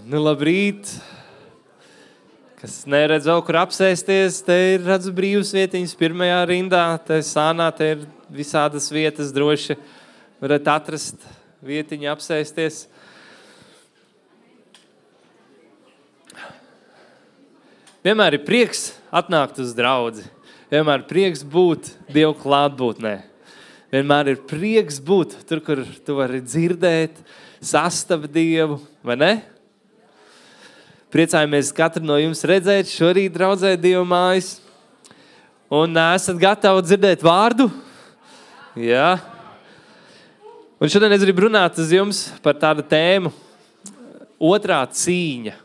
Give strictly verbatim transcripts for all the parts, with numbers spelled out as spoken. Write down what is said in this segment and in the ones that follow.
Nu, labrīt. Kas neredz vēl, kur apsēsties, te ir redzu brīvas vietiņas pirmajā rindā, te sānā, te ir visādas vietas droši. Varat atrast vietiņu apsēsties. Vienmēr ir prieks atnākt uz draudzi. Vienmēr ir prieks būt Dievu klātbūtnē. Vienmēr ir prieks būt tur, kur tu vari dzirdēt, sastapt Dievu, vai ne? Priecājamies katru no jums redzēt šorīt draudzē Dievu mājas. Un esat gatavi dzirdēt vārdu? Jā. Un šodien es gribu runāt uz jums par tādu tēmu otrā cīņa.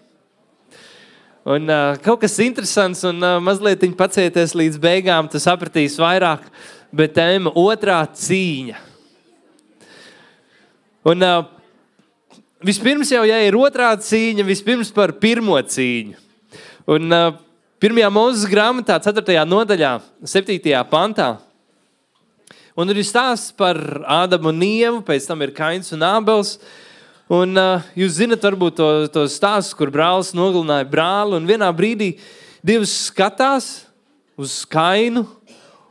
Un uh, kaut kas interesants un uh, mazliet pacieties līdz beigām, tu sapratīsi vairāk, bet tēma otrā cīņa. Un uh, vispirms jau, ja ir otrā cīņa, vispirms par pirmo cīņu. Un uh, pirmajā Mūzes grāmatā, ceturtajā nodaļā, septītajā pantā, un ir stāsts par Ādamu un Ievu, pēc tam ir Kains un Ābels. Un uh, jūs zinat varbūt to, to stāstu, kur brālis nogalināja brāli, un vienā brīdī Dievs skatās uz Kainu,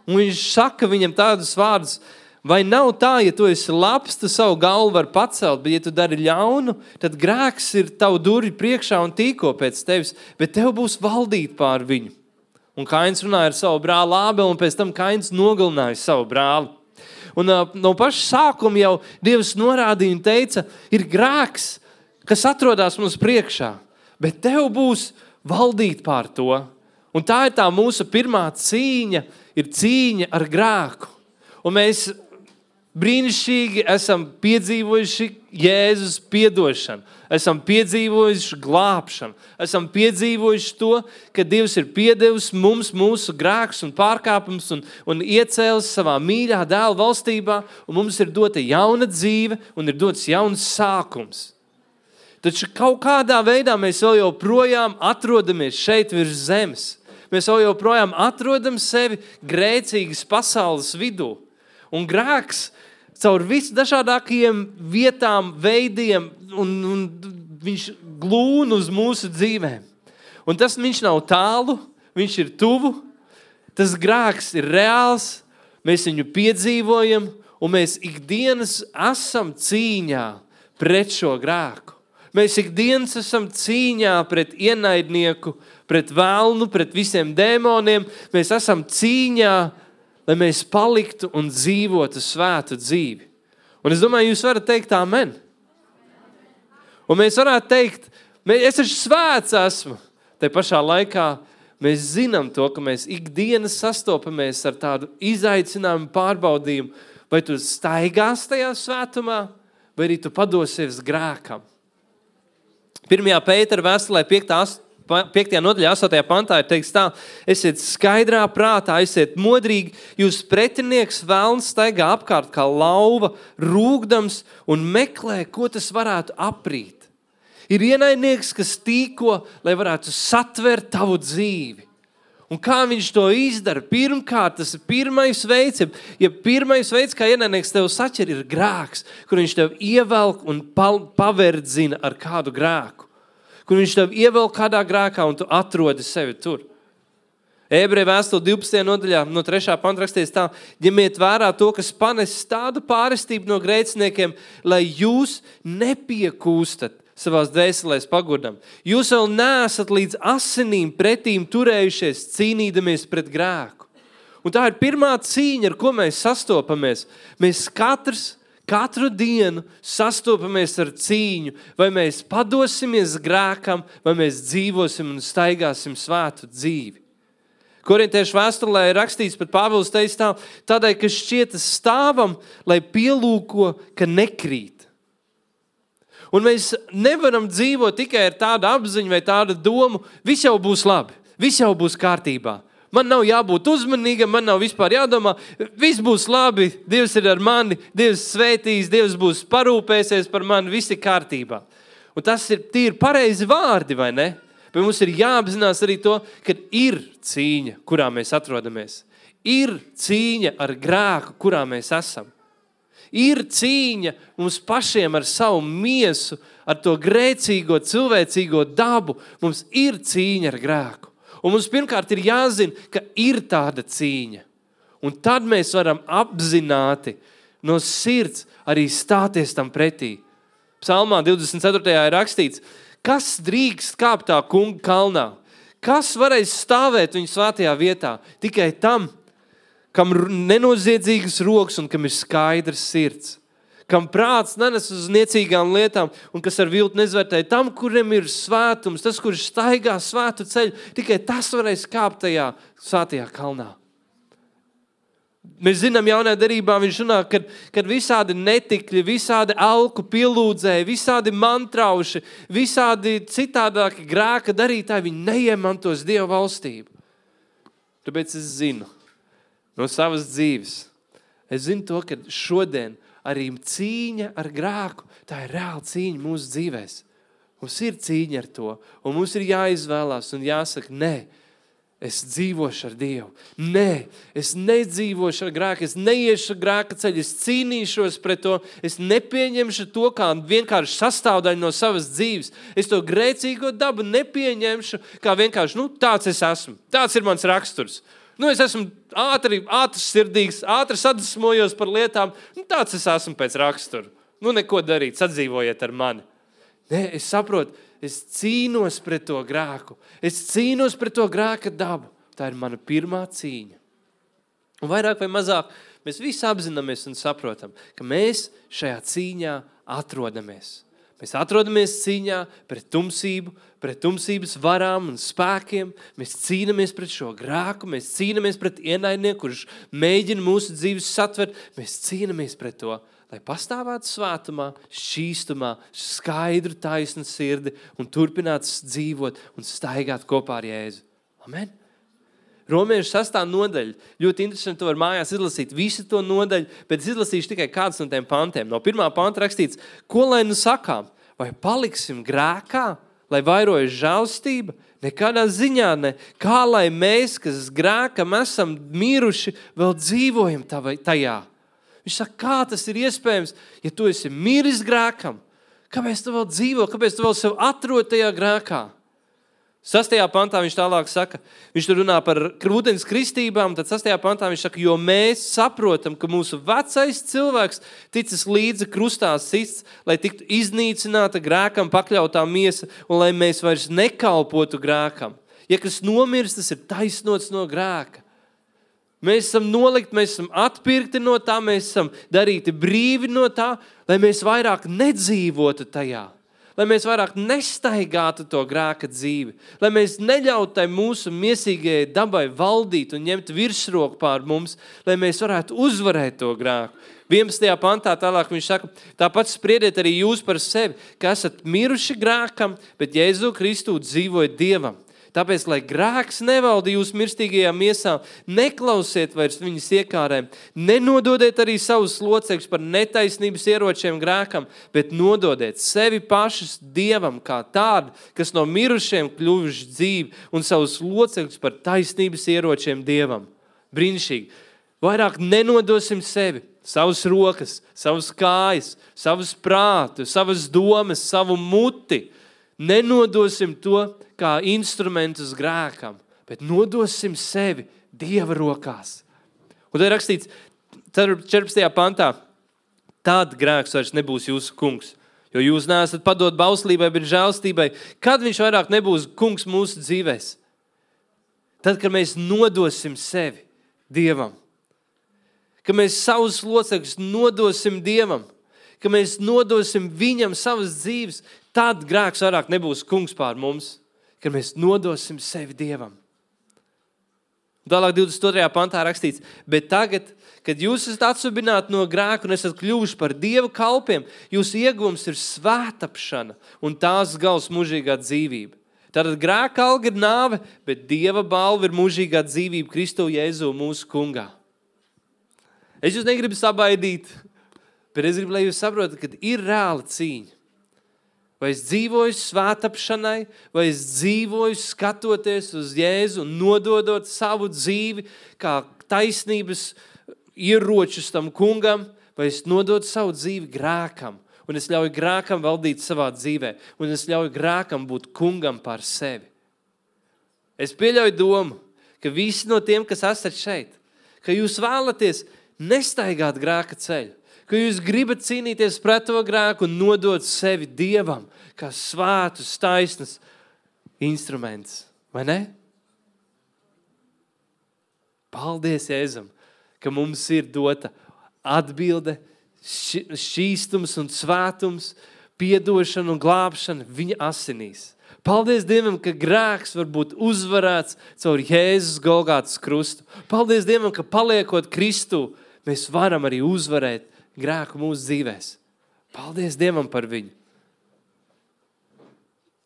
un viņš saka viņam tādus vārdus: vai nav tā, ja tu esi labs, tu savu galvu var pacelt, bet ja tu dari ļaunu, tad grēks ir tavu durvju priekšā un tīko pēc tevis, bet tev būs valdīt pār viņu. Un Kains runāja ar savu brāli Ābeli, un pēc tam Kains nogalināja savu brāli. Un uh, no paša sākuma jau Dievs norādīja un teica, ir grēks, kas atrodas mums priekšā, bet tev būs valdīt pār to. Un tā ir tā mūsu pirmā cīņa, ir cīņa ar grēku. Un mēs brīnišķīgi esam piedzīvojuši Jēzus piedošanu, esam piedzīvojuši glābšanu, esam piedzīvojuši to, ka Dievs ir piedevis mums mūsu grēkus un pārkāpums un, un iecēlis savā mīļā dēla valstībā, un mums ir dota jauna dzīve un ir dots jauns sākums. Taču kaut kādā veidā mēs vēl joprojām atrodamies šeit virs zemes. Mēs vēl joprojām atrodam sevi grēcīgas pasaules vidū. Un grēks caur visdažādākajiem vietām, veidiem, un, un viņš glūn uz mūsu dzīvēm. Un tas viņš nav tālu, viņš ir tuvu, tas grēks ir reāls, mēs viņu piedzīvojam, un mēs ikdienas esam cīņā pret šo grēku. Mēs ikdienas esam cīņā pret ienaidnieku, pret velnu, pret visiem dēmoniem, mēs esam cīņā, lai mēs paliktu un dzīvotu svētu dzīvi. Un es domāju, jūs varat teikt amen. Un mēs varētu teikt, es taču svēts esmu. Te pašā laikā mēs zinām to, ka mēs ikdienas sastopamies ar tādu izaicinājumu pārbaudījumu. Vai tu staigās tajā svētumā, vai arī tu padosies grēkam. Pirmajā Pētera vēstulē piektajā nodaļā, astotajā pantā ir teikts tā: esiet skaidrā prātā, esiet modrīgi, jūs pretinieks velns staigā apkārt kā lauva, rūgdams un meklē, ko tas varētu aprīt. Ir ienaidnieks, kas tīko, lai varētu satvert tavu dzīvi. Un kā viņš to izdara? Pirmkārt, tas ir pirmais veids, ja pirmais veids, kā ienaidnieks tev saķer, ir grēks, kur viņš tev ievelk un paverdzina ar kādu grēku. Kur viņš tev ievelk kādā grēkā un tu atrodi sevi tur. Ebreju vēstule divpadsmitajā nodaļā no trešā panta rakstīts tā: ņemiet vērā to, kas panes tādu pārestību no grēciniekiem, lai jūs nepiekūstat savās dvēselēs pagurdam. Jūs vēl neesat līdz asinīm pretīm turējušies, cīnīdamies pret grēku. Un tā ir pirmā cīņa, ar ko mēs sastopamies. Mēs katrs Katru dienu sastopamies ar cīņu, vai mēs padosimies grēkam, vai mēs dzīvosim un staigāsim svētu dzīvi. Korintiešu vēstulē ir rakstīts, pat Pāvils teica tā: tādēļ, ka šķietas stāvam, lai pielūko, ka nekrīt. Un mēs nevaram dzīvot tikai ar tādu apziņu vai tādu domu, viss jau būs labi, viss jau būs kārtībā. Man nav jābūt uzmanīgam, man nav vispār jādomā, viss būs labi, Dievs ir ar mani, Dievs svētīs, Dievs būs parūpēsies par mani, viss ir kārtībā. Un tas ir tīri pareizi vārdi, vai ne? Bet mums ir jāapzinās arī to, ka ir cīņa, kurā mēs atrodamies. Ir cīņa ar grēku, kurā mēs esam. Ir cīņa mums pašiem ar savu miesu, ar to grēcīgo, cilvēcīgo dabu, mums ir cīņa ar grēku. Un mums pirmkārt ir jāzina, ka ir tāda cīņa. Un tad mēs varam apzināti no sirds arī stāties tam pretī. Psalmā divdesmit ceturtajā ir rakstīts, kas drīkst kāpt tā kunga kalnā? Kas varēs stāvēt viņa svētajā vietā? Tikai tam, kam nenoziedzīgas rokas un kam ir skaidrs sirds. Kam prāts nenes uz niecīgām lietām un kas ar viltu nezvērtē, tam, kuriem ir svētums, tas, kurš staigā svētu ceļu, tikai tas varēs kāpt tajā svētajā kalnā. Mēs zinām, jaunajā derībā viņš runā, kad, kad visādi netikļi, visādi alku pielūdzēji, visādi mantrauši, visādi citādāki grēka darītāji, viņi neiemantos Dieva valstību. Tāpēc es zinu no savas dzīves, es zinu to, ka šodien arī cīņa ar grēku, tā ir reāla cīņa mūsu dzīvēs. Mums ir cīņa ar to, un mums ir jāizvēlās un jāsaka, nē, es dzīvošu ar Dievu. Nē, es nedzīvošu ar grēku, es neiešu grēka ceļu, es cīnīšos pret to, es nepieņemšu to kā vienkārši sastāvdaļu no savas dzīves. Es to grēcīgo dabu nepieņemšu kā vienkārši, nu, tāds es esmu, tāds ir mans raksturs. Nu, es esmu ātri, ātrs sirdīgs, ātri sadusmojos par lietām. Nu, tāds es esmu pēc rakstura. Nu, neko darīt, sadzīvojiet ar mani. Nē, es saprotu, es cīnos pret to grēku. Es cīnos pret to grēka dabu. Tā ir mana pirmā cīņa. Un vairāk vai mazāk mēs visi apzināmies un saprotam, ka mēs šajā cīņā atrodamies. Mēs atrodamies cīņā pret tumsību, pret tumsības varām un spēkiem. Mēs cīnamies pret šo grēku, mēs cīnamies pret ienaidnieku, kurš mēģina mūsu dzīves satvert. Mēs cīnamies pret to, lai pastāvētu svētumā, šķīstumā, skaidru taisnu sirdi un turpinātu dzīvot un staigāt kopā ar Jēzu. Amen. Romiešu sastā nodaļa. Ļoti interesanti, to var mājās izlasīt visu to nodaļu, bet es izlasīšu tikai kādus no tiem pantiem. No pirmā panta rakstīts, ko lai nu sakām? Vai paliksim grēkā, lai vairojas žēlstība? Nekādā ziņā ne. Kā lai mēs, kas grēkam esam miruši, vēl dzīvojam tajā? Viņš saka, kā tas ir iespējams, ja tu esi miris grēkam? Kāpēc tu vēl dzīvo? Kāpēc tu vēl sev atrod tajā grēkā? Sastajā pantā viņš tālāk saka, viņš tur runā par ūdens kristībām, tad sastajā pantā viņš saka, jo mēs saprotam, ka mūsu vecais cilvēks ticis līdzi krustā sists, lai tiktu iznīcināta grēkam pakļautā miesa un lai mēs vairs nekalpotu grēkam. Ja kas nomirst, tas ir taisnots no grēka. Mēs esam nolikti, mēs esam atpirkti no tā, mēs esam darīti brīvi no tā, lai mēs vairāk nedzīvotu tajā. Lai mēs vairāk nestaigātu to grēka dzīvi, lai mēs neļautu tai mūsu miesīgajai dabai valdīt un ņemt virsroku pār mums, lai mēs varētu uzvarēt to grēku. vienpadsmitajā pantā tālāk viņš saka, tāpat spriediet arī jūs par sevi, ka esat miruši grēkam, bet Jēzu Kristu dzīvojat Dievam. Tāpēc, lai grēks nevalda jūs mirstīgajā miesā, neklausiet vairs viņas iekārēm, nenododiet arī savus locekļus par netaisnības ieročiem grēkam, bet nododiet sevi pašus Dievam kā tādu, kas no mirušiem kļuvuši dzīvi un savus locekļus par taisnības ieročiem Dievam. Brīnišķīgi. Vairāk nenodosim sevi, savas rokas, savas kājas, savas prātu, savas domas, savu muti. Nenodosim to kā instrumentus grēkam, bet nodosim sevi Dieva rokās. Un tad rakstīts četrpadsmitajā pantā, tad grēks vairs nebūs jūsu kungs, jo jūs neesat padot bauslībai, bet žēlstībai. Kad viņš vairāk nebūs kungs mūsu dzīvēs? Tad, kad mēs nodosim sevi Dievam, kad mēs savus locekļus nodosim Dievam, ka mēs nodosim viņam savas dzīves, tad grēks vairāk nebūs kungs pār mums, kad mēs nodosim sevi Dievam. Tālāk divdesmit otrajā pantā rakstīts, bet tagad, kad jūs esat atsubināti no grēka un esat kļuvuši par Dieva kalpiem, jūsu ieguvums ir svētapšana un tās gals mūžīgā dzīvība. Tātad grēka alga ir nāve, bet Dieva balva ir mūžīgā dzīvība Kristu Jēzu mūsu kungā. Es jūs negribu sabaidīt, bet es gribu, lai jūs saprotat, ka ir reāla cīņa. Vai es dzīvoju svētapšanai, vai es dzīvoju skatoties uz Jēzu un nododot savu dzīvi kā taisnības ieročus tam kungam, vai es nododu savu dzīvi grēkam un es ļauju grēkam valdīt savā dzīvē, un es ļauju grēkam būt kungam par sevi. Es pieļauju domu, ka visi no tiem, kas esat šeit, ka jūs vēlaties nestaigāt grēka ceļu, ka jūs gribat cīnīties pret to grēku un nodot sevi Dievam, kā svētus, taisnus instruments, vai ne? Paldies, Jēzum, ka mums ir dota atbilde, šķīstums un svētums, piedošana un glābšana viņa asinīs. Paldies Dievam, ka grēks var būt uzvarēts caur Jēzus Golgātas krustu. Paldies Dievam, ka paliekot Kristu, mēs varam arī uzvarēt grēku mūsu dzīvēs. Paldies Dievam par viņu.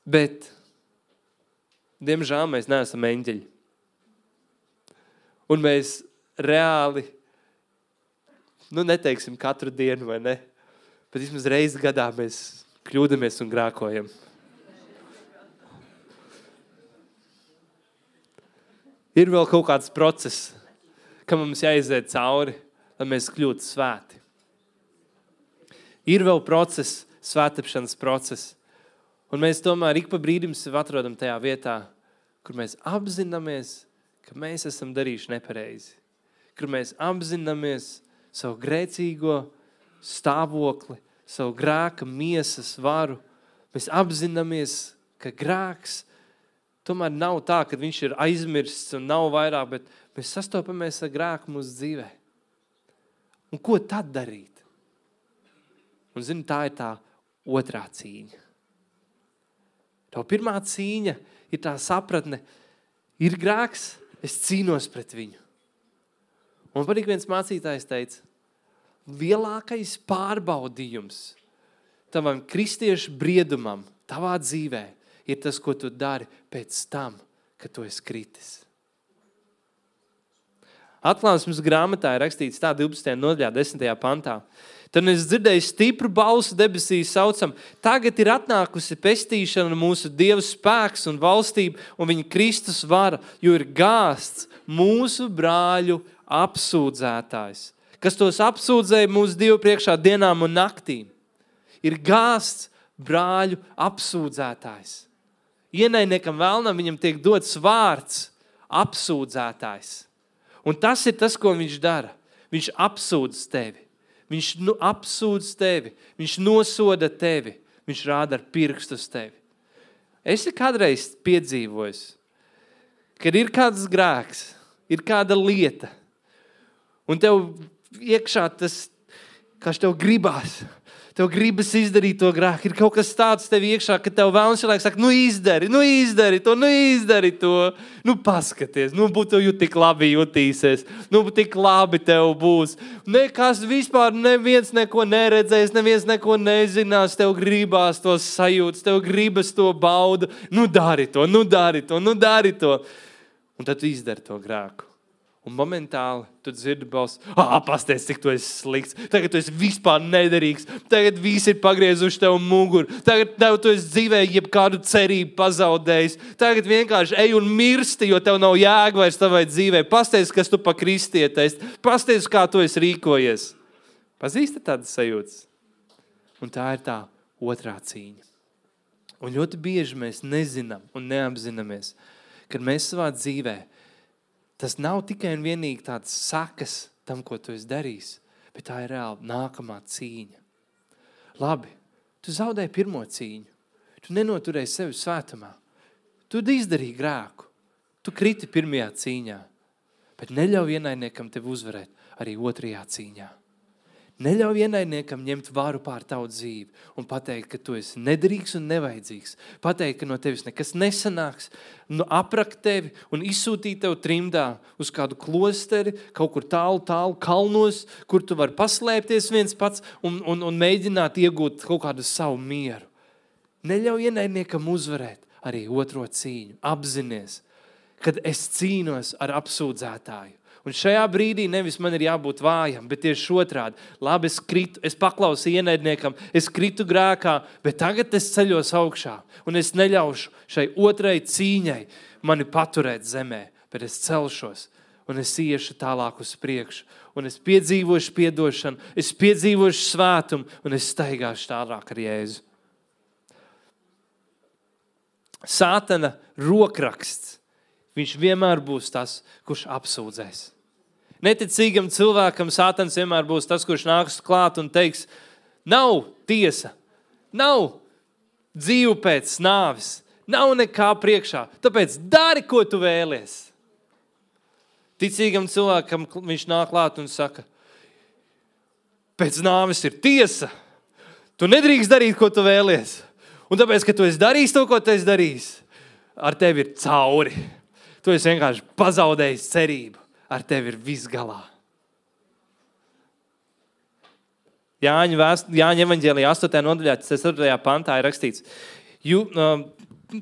Bet, diemžēl, mēs neesam eņģeļi. Un mēs reāli, nu neteiksim katru dienu, vai ne? Bet vismaz reizi gadā mēs kļūdamies un grēkojam. Ir vēl kaut kāds process, kam mums jāiziet cauri, lai mēs kļūtu svēti. Ir vēl process, svētapšanas process. Un mēs tomēr ik pa brīdim sev atrodam tajā vietā, kur mēs apzināmies, ka mēs esam darījuši nepareizi. Kur mēs apzināmies savu grēcīgo stāvokli, savu grēka miesas varu. Mēs apzināmies, ka grēks tomēr nav tā, ka viņš ir aizmirsts un nav vairāk, bet mēs sastopamies ar grēku mūsu dzīvē. Un ko tad darīt? Un zini, tā ir tā otrā cīņa. Tā pirmā cīņa ir tā sapratne, ir grēks, es cīnos pret viņu. Un patīk viens mācītājs teica, lielākais pārbaudījums tavam kristiešu briedumam, tavā dzīvē, ir tas, ko tu dari pēc tam, kad tu esi kritis. Atklāsmes grāmatā ir rakstīts tā divpadsmitajā nodaļā, desmitajā pantā. Tad es dzirdēju stipru balsu debesīs saucam, tagad ir atnākusi pestīšana mūsu Dieva spēks un valstība un viņa Kristus vara, jo ir gāsts mūsu brāļu apsūdzētājs, kas tos apsūdzēja mūsu Dievu priekšā dienām un naktīm. Ir gāsts brāļu apsūdzētājs. Ienaidniekam vēlnam viņam tiek dots vārds apsūdzētājs. Un tas ir tas, ko viņš dara. Viņš apsūdz tevi. Viņš nu, apsūdz tevi. Viņš nosoda tevi. Viņš rāda ar pirkstu uz tevi. Esi kādreiz piedzīvojis, kad ir kāds grēks, ir kāda lieta, un tev iekšā tas, kas tev gribās, tev gribas izdarīt to grēku. Ir kaut kas tāds tev iekšā, ka tev vēlams cilvēks saka, nu izdari, nu izdari to, nu izdari to. Nu paskaties, nu būtu tu tik labi jutīsies, nu tik labi tev būs. Nekas vispār neviens neko neredzēs, neviens neko nezinās, tev gribās to sajūtas, tev gribas to baudu. Nu dari to, nu dari to, nu dari to. Un tad tu izdari to grēku. Un momentāli tu dzirdi balsi, ah, pasties, cik tu esi slikts, tagad tu esi vispār nederīgs, tagad visi ir pagriezuši tev muguru, tagad tev tu esi dzīvē jebkādu cerību pazaudējis, tagad vienkārši ej un mirsti, jo tev nav jēga vairs tavai dzīvē, pasties, kas tu pa kristietais, pasties, kā tu esi rīkojies. Pazīsti tādas sajūtas? Un tā ir tā otrā cīņa. Un ļoti bieži mēs nezinām un neapzināmies, kad mēs savā dzīvē tas nav tikai un vienīgi tāds sakas tam, ko tu esi darījis, bet tā ir reāli nākamā cīņa. Labi, tu zaudēji pirmo cīņu. Tu nenoturēji sevi svētumā. Tu izdarīji grēku. Tu kriti pirmajā cīņā. Bet neļauj ienaidniekam tevi uzvarēt arī otrajā cīņā. Neļauj ienaidniekam ņemt varu pār tavu dzīvi un pateikt, ka tu esi nederīgs un nevajadzīgs. Pateikt, ka no tevis nekas nesanāks, nu aprakt tevi un izsūtīt tev trimdā uz kādu klosteri, kaut kur tālu, tālu kalnos, kur tu vari paslēpties viens pats un, un, un mēģināt iegūt kaut kādu savu mieru. Neļauj ienaidniekam uzvarēt arī otro cīņu. Apzinies, kad es cīnos ar apsūdzētāju. Un šajā brīdī nevis man ir jābūt vājam, bet tieši otrādi. Labi, es kritu, es paklausu ienaidniekam, es kritu grēkā, bet tagad es ceļos augšā. Un es neļaušu šai otrai cīņai mani paturēt zemē, bet es celšos un es iešu tālāk uz priekšu. un es piedzīvošu piedošanu, es piedzīvošu svētumu, un es staigāšu tālāk ar Jēzu. Sātana rokraksts, viņš vienmēr būs tas, kurš apsūdzēs. Neticīgam cilvēkam Sātans vienmēr būs tas, kurš nāks klāt un teiks, nav tiesa, nav dzīve pēc nāves, nav nekā priekšā, tāpēc dari, ko tu vēlies. Ticīgam cilvēkam viņš nāk klāt un saka, pēc nāves ir tiesa, tu nedrīkst darīt, ko tu vēlies. Un tāpēc, ka tu esi darījis to, ko tu esi darījis, ar tevi ir cauri. Tu esi vienkārši pazaudējis cerību. Ar tevi ir viss galā. Jāņa, vēst, Jāņa evaņģēlijā astotajā nodaļā, ceturtajā pantā ir rakstīts. Jū,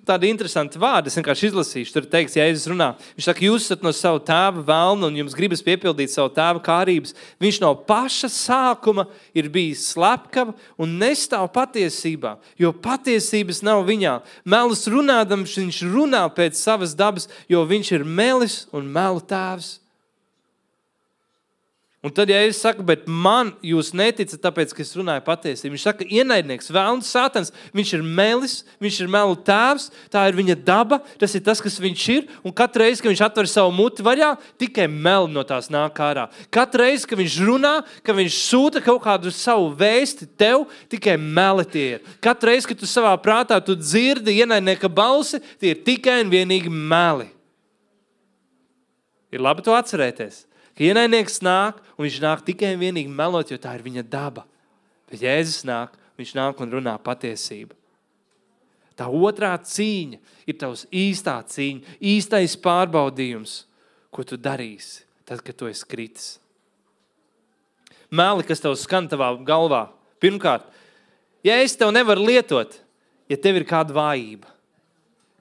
tādi interesanti vārdi, es vienkārši izlasīšu. Tur teiks, Jēzus runā. Viņš saka, jūs esat no savu tēva velna un jums gribas piepildīt savu tēva kārības. Viņš no paša sākuma ir bijis slepkava un nestāv patiesībā, jo patiesības nav viņā. Melus runādams, viņš runā pēc savas dabas, jo viņš ir melis un melu tēvs. Un tad, ja es saku, bet man jūs neticat, tāpēc, ka es runāju patiesību. Viņš saka, ienaidnieks, vēlns, Sātans, viņš ir melis, viņš ir melu tēvs, tā ir viņa daba, tas ir tas, kas viņš ir, un katru reizi, kad viņš atver savu muti vaļā, tikai meli no tās nāk ārā. Katru reizi, kad viņš runā, kad viņš sūta kaut kādu savu vēsti tev, tikai meli tie ir. Katru reizi, kad tu savā prātā tu dzirdi ienaidnieka balsi, tie ir tikai un vienīgi meli. Ir labi to atcerēties. Ka ienaidnieks nāk, un viņš nāk tikai un vienīgi melot, jo tā ir viņa daba. Bet Jēzus nāk, viņš nāk un runā patiesību. Tā otrā cīņa ir tavs īstā cīņa, īstais pārbaudījums, ko tu darīsi, tad, kad tu esi kritis. Meli, kas tev skan tavā galvā. Pirmkārt, ja es tev nevaru lietot, ja tev ir kāda vājība.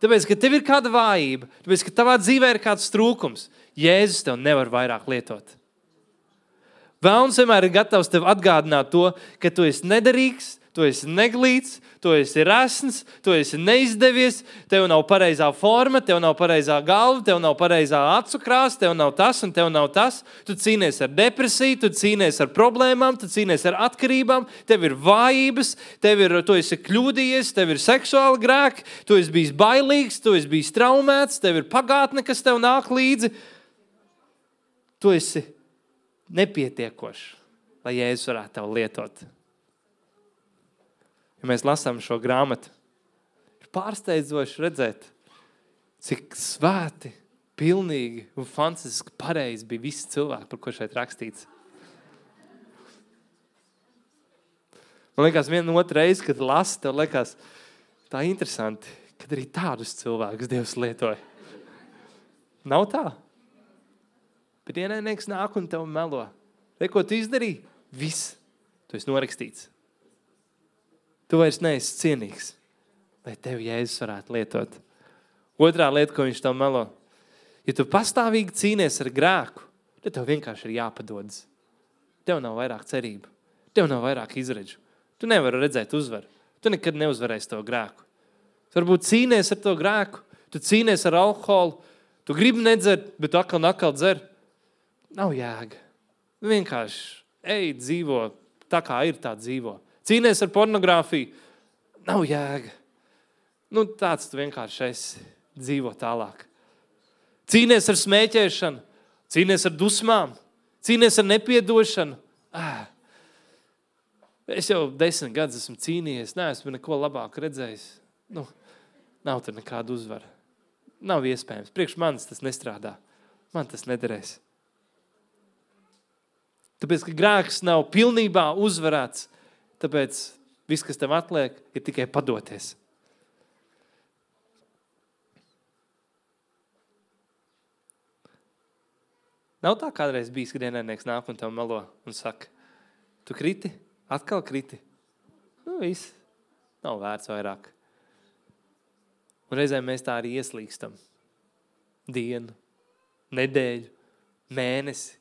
Tāpēc, ka tev ir kāda vājība, tāpēc, ka tavā dzīvē ir kāds trūkums, Jēzus tev nevar vairāk lietot. Velns vienmēr ir gatavs tev atgādināt to, ka tu esi nederīgs, tu esi neglīts, tu esi resns, tu esi neizdevies, tev nav pareizā forma, tev nav pareizā galva, tev nav pareizā acu krāsa, tev nav tas un tev nav tas. Tu cīnies ar depresiju, tu cīnies ar problēmām, tu cīnies ar atkarībām, tev ir vājības, tev ir, tu esi kļūdījies, tev ir seksuāli grēki, tu esi bijis bailīgs, tu esi bijis traumēts, tev ir pagātne, kas tev nāk līdzi. Tu esi nepietiekošs, lai Jēzus varētu tev lietot. Ja mēs lasām šo grāmatu, ir pārsteidzoši redzēt, cik svēti, pilnīgi un fantastiski pareizi bija visi cilvēki, par ko šeit rakstīts. Man liekas, viena otra reize, kad lasi, tev liekas tā interesanti, kad arī tādus cilvēkus Dievs lietoja. Nav tā? Bet ienaidnieks nāk un tev melo. Re, ko tu izdarīji? Viss. Tu esi norakstīts. Tu vairs neesi cienīgs, lai tev Jēzus varētu lietot. Otrā lieta, ko viņš tev melo. Ja tu pastāvīgi cīnies ar grēku, tad tev vienkārši ir jāpadodas. Tev nav vairāk cerību. Tev nav vairāk izredžu. Tu nevari redzēt uzvaru. Tu nekad neuzvarēsi to grēku. Tu varbūt cīnies ar to grēku. Tu cīnies ar alkoholu. Tu gribi nedzert, bet tu atkal un atkal dzer. Nav jēga. Vienkārši ej, dzīvo tā, kā ir, tā dzīvo. Cīnies ar pornogrāfiju. Nav jēga. Nu, tāds tu vienkārši esi. Dzīvo tālāk. Cīnies ar smēķēšanu. Cīnies ar dusmām. Cīnies ar nepiedošanu. Ah. Es jau desmit gadus esmu cīnījies. Neesmu neko labāku redzējis. Nu, nav tur nekāda uzvara. Nav iespējams. Priekš manis tas nestrādā. Man tas nederēs. Tāpēc, ka grēks nav pilnībā uzvarēts, tāpēc viss, kas tev atliek, ir tikai padoties. Nav tā kādreiz bijis, kad ienaidnieks nāk un tev melo un saka, tu kriti, atkal kriti. Nu, viss, nav vērts vairāk. Un reizēm mēs tā arī ieslīkstam. Dienu, nedēļu, mēnesi.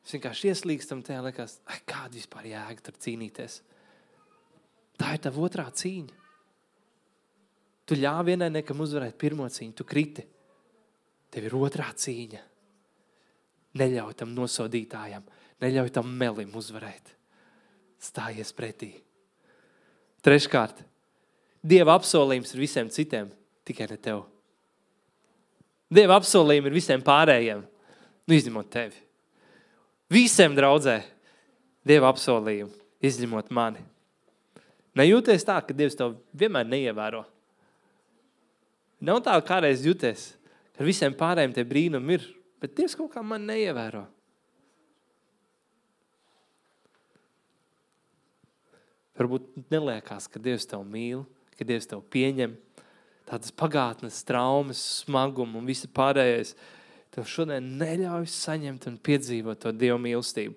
Mēs vienkārši ieslīkstam tajā, liekas, ai, kāda vispār jēga tur cīnīties. Tā ir tava otrā cīņa. Tu ļāvi ienaidniekam uzvarēt pirmo cīņu, tu kriti. Tev ir otrā cīņa. Neļauj tam nosodītājam, Neļauj tam melim uzvarēt. Stājies pretī. Treškārt, Dieva apsolījums ir visiem citiem, tikai ne tev. Dieva apsolījumi ir visiem pārējiem, nu izņemot tevi. Visiem draudzē Dieva apsolījumi, izņemot mani. Nejūties tā, ka Dievs tev vienmēr neievēro. Nav tā, kādreiz jūties, ka visiem pārējiem tie brīnumi ir, bet Dievs kaut kā man neievēro. Varbūt neliekās, ka Dievs tev mīl, ka Dievs tev pieņem, tādas pagātnes, traumas, smagumu un visi pārējais. Tev šodien neļauj saņemt un piedzīvot to Dieva mīlestību.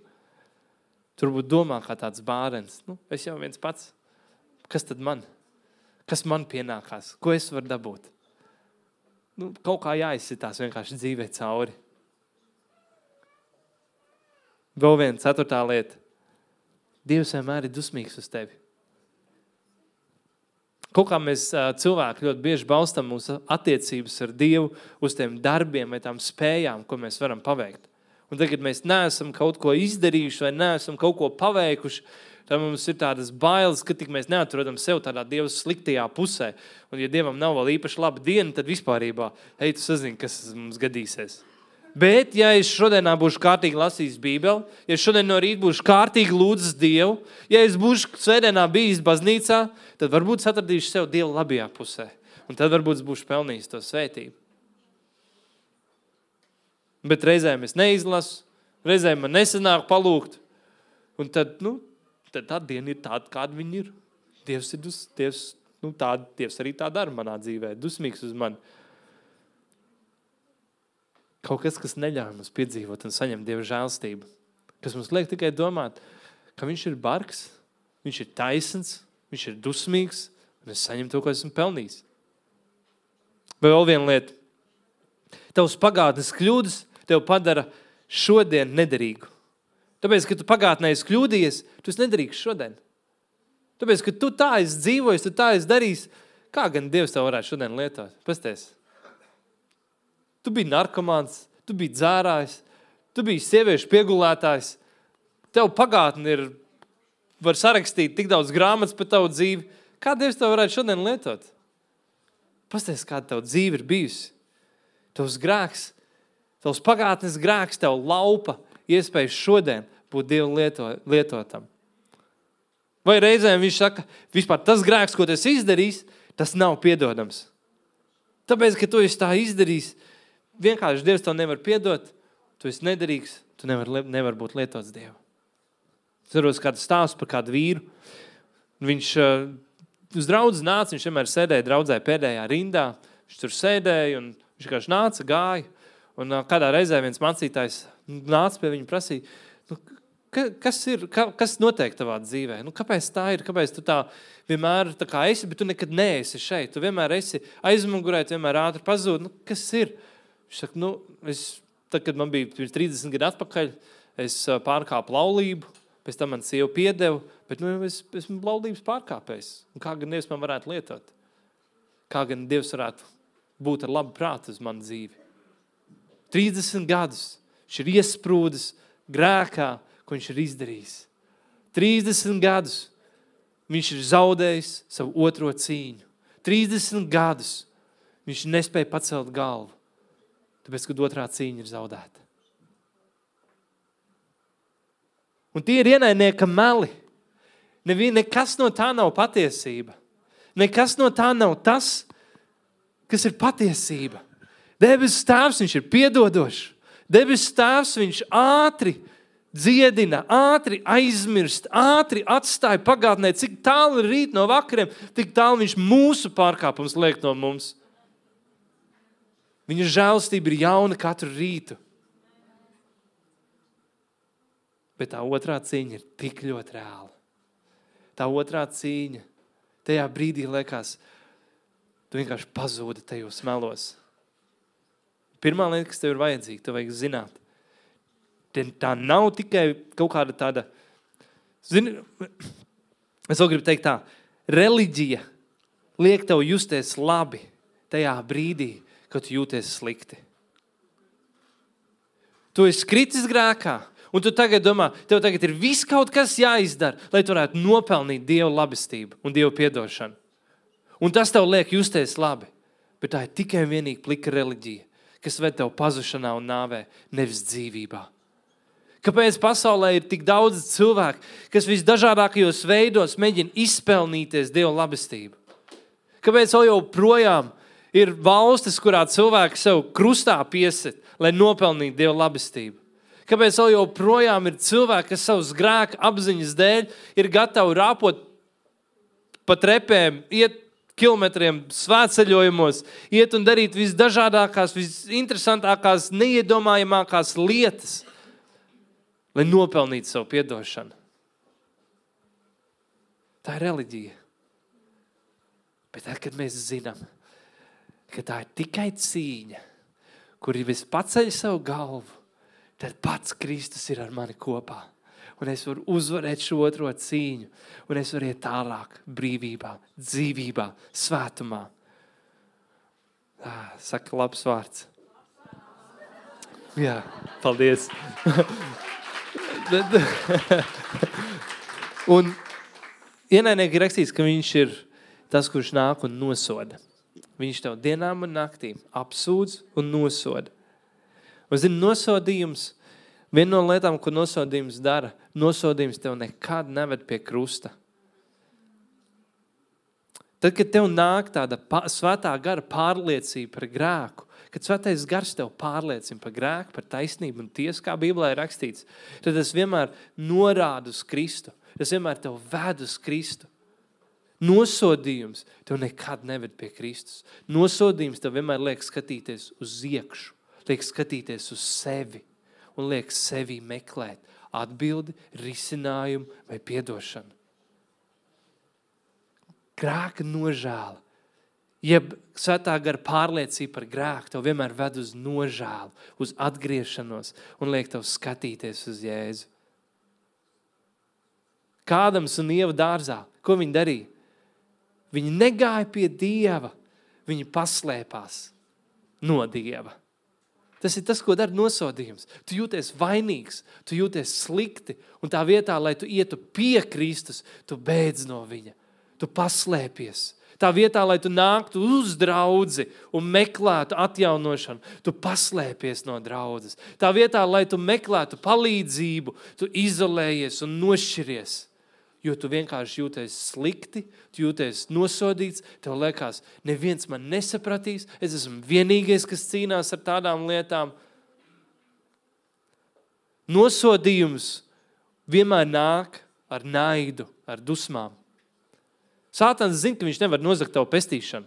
Turbūt domā kā tāds bārens. Nu, es jau viens pats. Kas tad man? Kas man pienākās? Ko es varu dabūt? Nu, kaut kā jāizsitās vienkārši dzīvē cauri. Vēl viena ceturtā lieta. Dievs vienmēr ir dusmīgs uz tevi. Kaut kā mēs cilvēki ļoti bieži balstam mūsu attiecības ar Dievu uz tiem darbiem vai tām spējām, ko mēs varam paveikt. Un tagad mēs neesam kaut ko izdarījuši vai neesam kaut ko paveikuši, tad mums ir tādas bailes, ka tik mēs neatrodam sev tādā Dieva sliktajā pusē. Un ja Dievam nav vēl īpaši laba diena, tad vispārībā, ej, tu sazini, kas mums gadīsies. Bet, ja es šodienā būšu kārtīgi lasījis Bībeli, ja šodien no rīta būšu kārtīgi lūdzis Dievu, ja es būšu svētdienā bijis baznīcā, tad varbūt es atradīšu sev Dievu labajā pusē. Un tad varbūt es būšu pelnījis to svētību. Bet reizēm es neizlasu, reizēm man nesanāk palūgt. Un tad, nu, tad tā diena ir tāda, kāda viņa ir. Dievs ir dus, Dievs, nu, tā, Dievs arī tā dara manā dzīvē, dusmīgs uz mani. Kaut kas, kas neļauj mums piedzīvot un saņemt Dieva žēlstību. Kas mums liek tikai domāt, ka viņš ir bargs, viņš ir taisns, viņš ir dusmīgs, un es saņemu to, ko esmu pelnījis. Vai vēl viena lieta. Tavs pagātnes kļūdas tev padara šodien nederīgu. Tāpēc, ka tu pagātnē esi kļūdījies, tu esi nederīgs šodien. Tāpēc, ka tu tā esi dzīvojis, tu tā esi darījis, kā gan Dievs tev varētu šodien lietot? Pasties. Tu biji narkomāns, tu biji dzērājs, tu biji sieviešu piegulētājs. Tev pagātni ir, var sarakstīt tik daudz grāmatas par tavu dzīvi. Kā Dievs tev varētu šodien lietot? Pasties, kāda tev dzīve ir bijusi. Tavs grēks, tavs pagātnes grēks tev laupa iespējas šodien būt Dievu lieto, lietotam. Vai reizēm viņš saka, vispār tas grēks, ko tu esi izdarījis, tas nav piedodams. Tāpēc, ka tu esi tā izdarījis, vienkārši Dievs tev nevar piedot, tu esi nederīgs, tu nevar, nevar būt lietots Dievu. Es varos kādu stāstu par kādu vīru. Viņš uh, uz draudzi nāca, viņš vienmēr sēdēja draudzē pēdējā rindā, viņš tur sēdēja un viņš vienkārši nāca, gāja. Un uh, kādā reizē viens mācītājs nāca pie viņu prasīja, nu, ka, kas ir, ka, kas notiek tavā dzīvē? Nu, kāpēc tā ir? Kāpēc tu tā vienmēr tā kā esi, bet tu nekad neesi šeit? Tu vienmēr esi aizmugurē, tu vienmēr ātri pazūd. Nu, kas ir? Viņš saka, nu, es, tad, kad man bija pirms trīsdesmit gadu atpakaļ, es pārkāpu laulību, pēc tam man sieva piedeva, bet nu, es esmu laulības pārkāpējs. Un kā gan Dievs man varētu lietot? Kā gan Dievs varētu būt ar labu prātu uz manu dzīvi? trīsdesmit gadus viņš ir iesprūdis grēkā, ko viņš ir izdarījis. trīsdesmit gadus viņš ir zaudējis savu otro cīņu. trīsdesmit gadus viņš nespēja pacelt galvu. Tāpēc, kad otrā cīņa ir zaudēta. Un tie ir ienaidnieka meli. Nevi, nekas no tā nav patiesība. Nekas no tā nav tas, kas ir patiesība. Debesu Tēvs, viņš ir piedodošs. Debesu Tēvs, viņš ātri dziedina, ātri aizmirst, ātri atstāja pagātnē. Cik tālu ir rīt no vakariem, tik tālu viņš mūsu pārkāpums liek no mums. Viņa žēlastība ir jauna katru rītu. Bet tā otrā cīņa ir tik ļoti reāla. Tā otrā cīņa, tajā brīdī liekas, tu vienkārši pazūdi tajos melos. Pirmā lieta, kas tev ir vajadzīga, tev vajag zināt. Tā nav tikai kaut kāda tāda, zini, es vēl gribu teikt tā, reliģija liek tev justies labi tajā brīdī, kad tu jūties slikti. Tu esi kritis grēkā, Un tu tagad domā, tev tagad ir viss kaut kas jāizdara, lai tu varētu nopelnīt Dieva labestību un Dieva piedošanu. Un tas tev liek justies labi. Bet tā ir tikai un vienīgi plika reliģija, kas ved tev pazušanā un nāvē, nevis dzīvībā. Kāpēc pasaulē ir tik daudz cilvēku, kas visdažādākajos veidos mēģina izpelnīties Dieva labestību? Kāpēc vēl joprojām ir valstis, kurā cilvēki sev krustā piesit, lai nopelnītu Dieva labestību? Kāpēc vēl joprojām ir cilvēki, kas savus grēku apziņas dēļ ir gatavi rāpot pa trepēm, iet kilometriem svētceļojumos, iet un darīt visdažādākās, visinteresantākās, neiedomājamākās lietas, lai nopelnītu savu piedošanu. Tā ir reliģija. Bet tad, kad mēs zinām, ka tā ir tikai cīņa, kur viss paceļ savu galvu, tad pats Kristus ir ar mani kopā. Un es varu uzvarēt šo otro cīņu. Un es varu iet tālāk brīvībā, dzīvībā, svētumā. Ah, saka labs vārds. Jā, paldies. Un ienaidnieki ir rakstīts, ka viņš ir tas, kurš nāk un nosoda. Viņš tev dienām un naktīm apsūdz un nosoda. Un zini, nosodījums, viena no lietām, ko nosodījums dara, nosodījums tev nekad neved pie krusta. Tad, kad tev nāk tāda svētā gara pārliecība par grēku, kad svētais gars tev pārliecina par grēku, par taisnību un tiesu, kā Bībelē ir rakstīts, tad tas vienmēr norāda uz Kristu. Tas vienmēr tev ved uz Kristu. Nosodījums tev nekad neved pie Kristus. Nosodījums tev vienmēr liek skatīties uz iekšu. Liek skatīties uz sevi un liek sevi meklēt atbildi, risinājumu vai piedošanu. Grēka nožēla, jeb svētā gara pārliecība par grēku tev vienmēr ved uz nožēlu, uz atgriešanos un liek tev skatīties uz Jēzu. Kādams un Ieva dārzā, ko viņi darīja? Viņi negāja pie Dieva, viņi paslēpās no Dieva. Tas ir tas, ko dara nosodījums. Tu jūties vainīgs, tu jūties slikti, un tā vietā, lai tu ietu pie Kristus, tu beidz no viņa. Tu paslēpies. Tā vietā, lai tu nāktu uz draudzi un meklētu atjaunošanu, tu paslēpies no draudzes. Tā vietā, lai tu meklētu palīdzību, tu izolējies un nošķiries. Jo tu vienkārši jūties slikti, tu jūties nosodīts, tev liekas, neviens man nesapratīs, es esmu vienīgais, kas cīnās ar tādām lietām. Nosodījums vienmēr nāk ar naidu, ar dusmām. Sātans zina, ka viņš nevar nozagt tavu pestīšanu.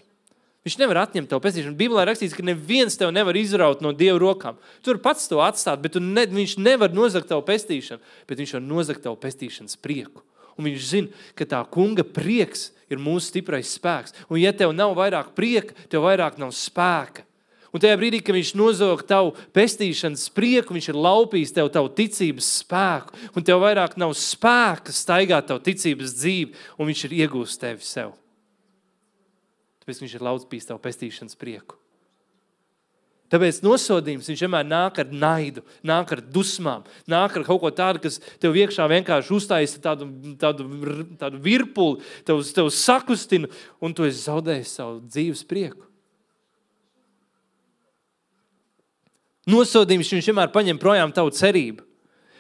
Viņš nevar atņemt tavu pestīšanu. Bībelē rakstīts, ka neviens tev nevar izraut no Dieva rokām. Tu vari pats to atstāt, bet tu ne, viņš nevar nozagt tavu pestīšanu, bet viņš var nozagt tavu pestīšanas prieku. Un viņš zina, ka tā kunga prieks ir mūsu stiprais spēks. Un ja tev nav vairāk prieka, tev vairāk nav spēka. Un tajā brīdī, kad viņš nozog tavu pestīšanas prieku, viņš ir laupījis tev tavu ticības spēku. Un tev vairāk nav spēka staigāt tavu ticības dzīvi, un viņš ir iegūst tevi sev. Tāpēc viņš ir laupījis tavu pestīšanas prieku. Tāpēc nosodījums, viņš vienmēr nāk ar naidu, nāk ar dusmām, nāk ar kaut ko tādu, kas tev iekšā vienkārši uztaisa tādu, tādu, tādu virpuli, tev, tev sakustina, un tu esi zaudējis savu dzīves prieku. Nosodījums, viņš vienmēr paņem projām tavu cerību.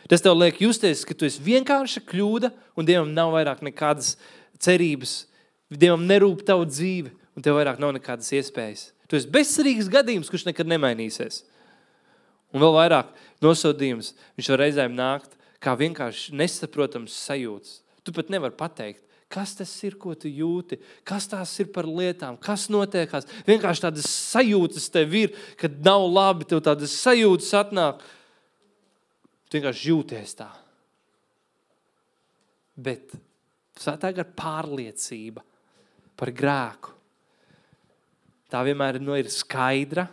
Tas tev liek justies, ka tu esi vienkārša kļūda, un Dievam nav vairāk nekādas cerības. Dievam nerūp tavu dzīvi, un tev vairāk nav nekādas iespējas. Tu esi bezcerīgs gadījums, kurš nekad nemainīsies. Un vēl vairāk nosodījums, viņš var reizēm nākt kā vienkārši nesaprotams sajūtas. Tu pat nevar pateikt, kas tas ir, ko tu jūti, kas tās ir par lietām, kas notiekās. Vienkārši tādas sajūtas tev ir, kad nav labi, tev tādas sajūtas atnāk. Tu vienkārši jūties tā. Bet svētā gara pārliecība par grēku. Tā vienmēr nu, ir skaidra,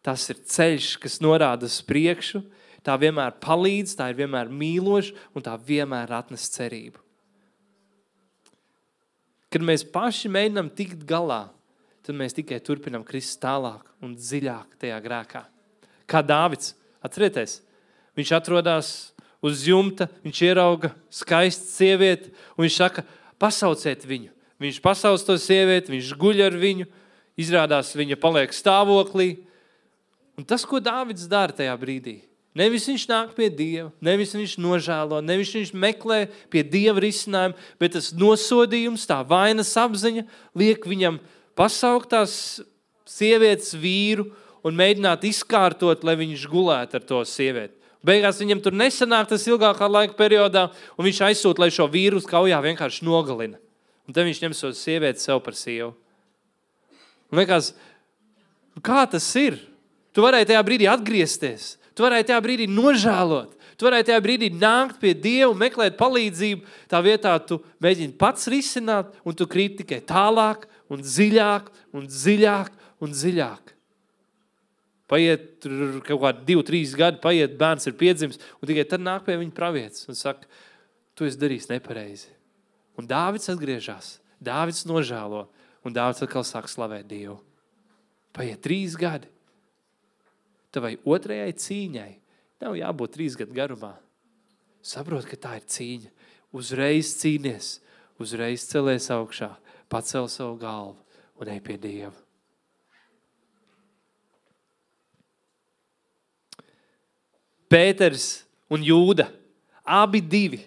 tas ir ceļš, kas norāda uz priekšu, tā vienmēr palīdz, tā ir vienmēr mīloša un tā vienmēr atnes cerību. Kad mēs paši mēģinām tikt galā, tad mēs tikai turpinām krist tālāk un dziļāk tajā grēkā. Kā Dāvids, atcerieties, viņš atrodās uz jumta, viņš ierauga skaistu sievieti, un viņš saka, pasauciet viņu. Viņš pasauc to sievieti, viņš guļ ar viņu, izrādās viņa paliek stāvoklī. Un tas, ko Dāvids dara tajā brīdī, nevis viņš nāk pie Dieva, nevis viņš nožēlo, nevis viņš meklē pie Dieva risinājumu, bet tas nosodījums, tā vainas apziņa liek viņam pasaukt tās sievietes vīru un mēģināt izkārtot, lai viņš gulētu ar to sievieti. Beigās viņam tur nesanāk tas ilgākā laika periodā, un viņš aizsūta, lai šo vīru uz kaujā vienkārši nogalina. Un tad viņš ņem šo sievieti sev par sievu. Un liekas, kā tas ir? Tu varēji tajā brīdī atgriezties. Tu varēji tajā brīdī nožēlot. Tu varēji tajā brīdī nākt pie Dieva, meklēt palīdzību. Tā vietā tu mēģini pats risināt, un tu krīt tikai tālāk un dziļāk un dziļāk un dziļāk. Paiet kaut kādi divi, trīs gadi, paiet, bērns ir piedzimis, un tikai tad nāk pie viņa pravietis un saka, tu esi darījis nepareizi. Un Dāvids atgriežas, Dāvids nožēlo, un Dāvids atkal sāk slavēt Dievu. Paiet trīs gadi. Tavai otrajai cīņai nav jābūt trīs gadu garumā. Saprot, ka tā ir cīņa. Uzreiz cīnies, uzreiz celies augšā, pacel savu galvu un ej pie Dieva. Pēters un Jūda, abi divi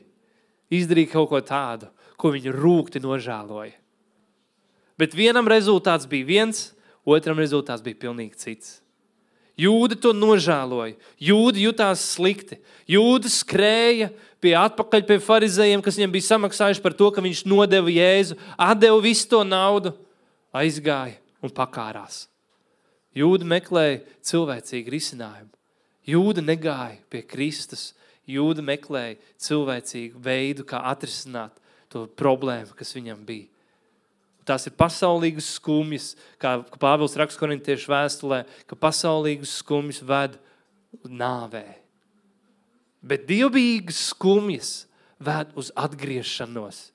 izdarīja kaut ko tādu, ko viņi rūgti nožēloja. Bet vienam rezultāts bija viens, otram rezultāts bija pilnīgi cits. Jūda to nožēloja, Jūda jutās slikti, Jūda skrēja pie atpakaļ pie farizējiem, kas viņam bija samaksājuši par to, ka viņš nodeva Jēzu, atdeva visu to naudu, aizgāja un pakārās. Jūda meklēja cilvēcīgu risinājumu. Jūda negāja pie Kristus, Jūda meklēja cilvēcīgu veidu, kā atrisināt to problēmu, kas viņam bija. Tās ir pasaulīgas skumjas, kā Pāvils raksta Korintiešu vēstulē, ka pasaulīgas skumjas ved nāvē. Bet dievbijīgas skumjas ved uz atgriešanos.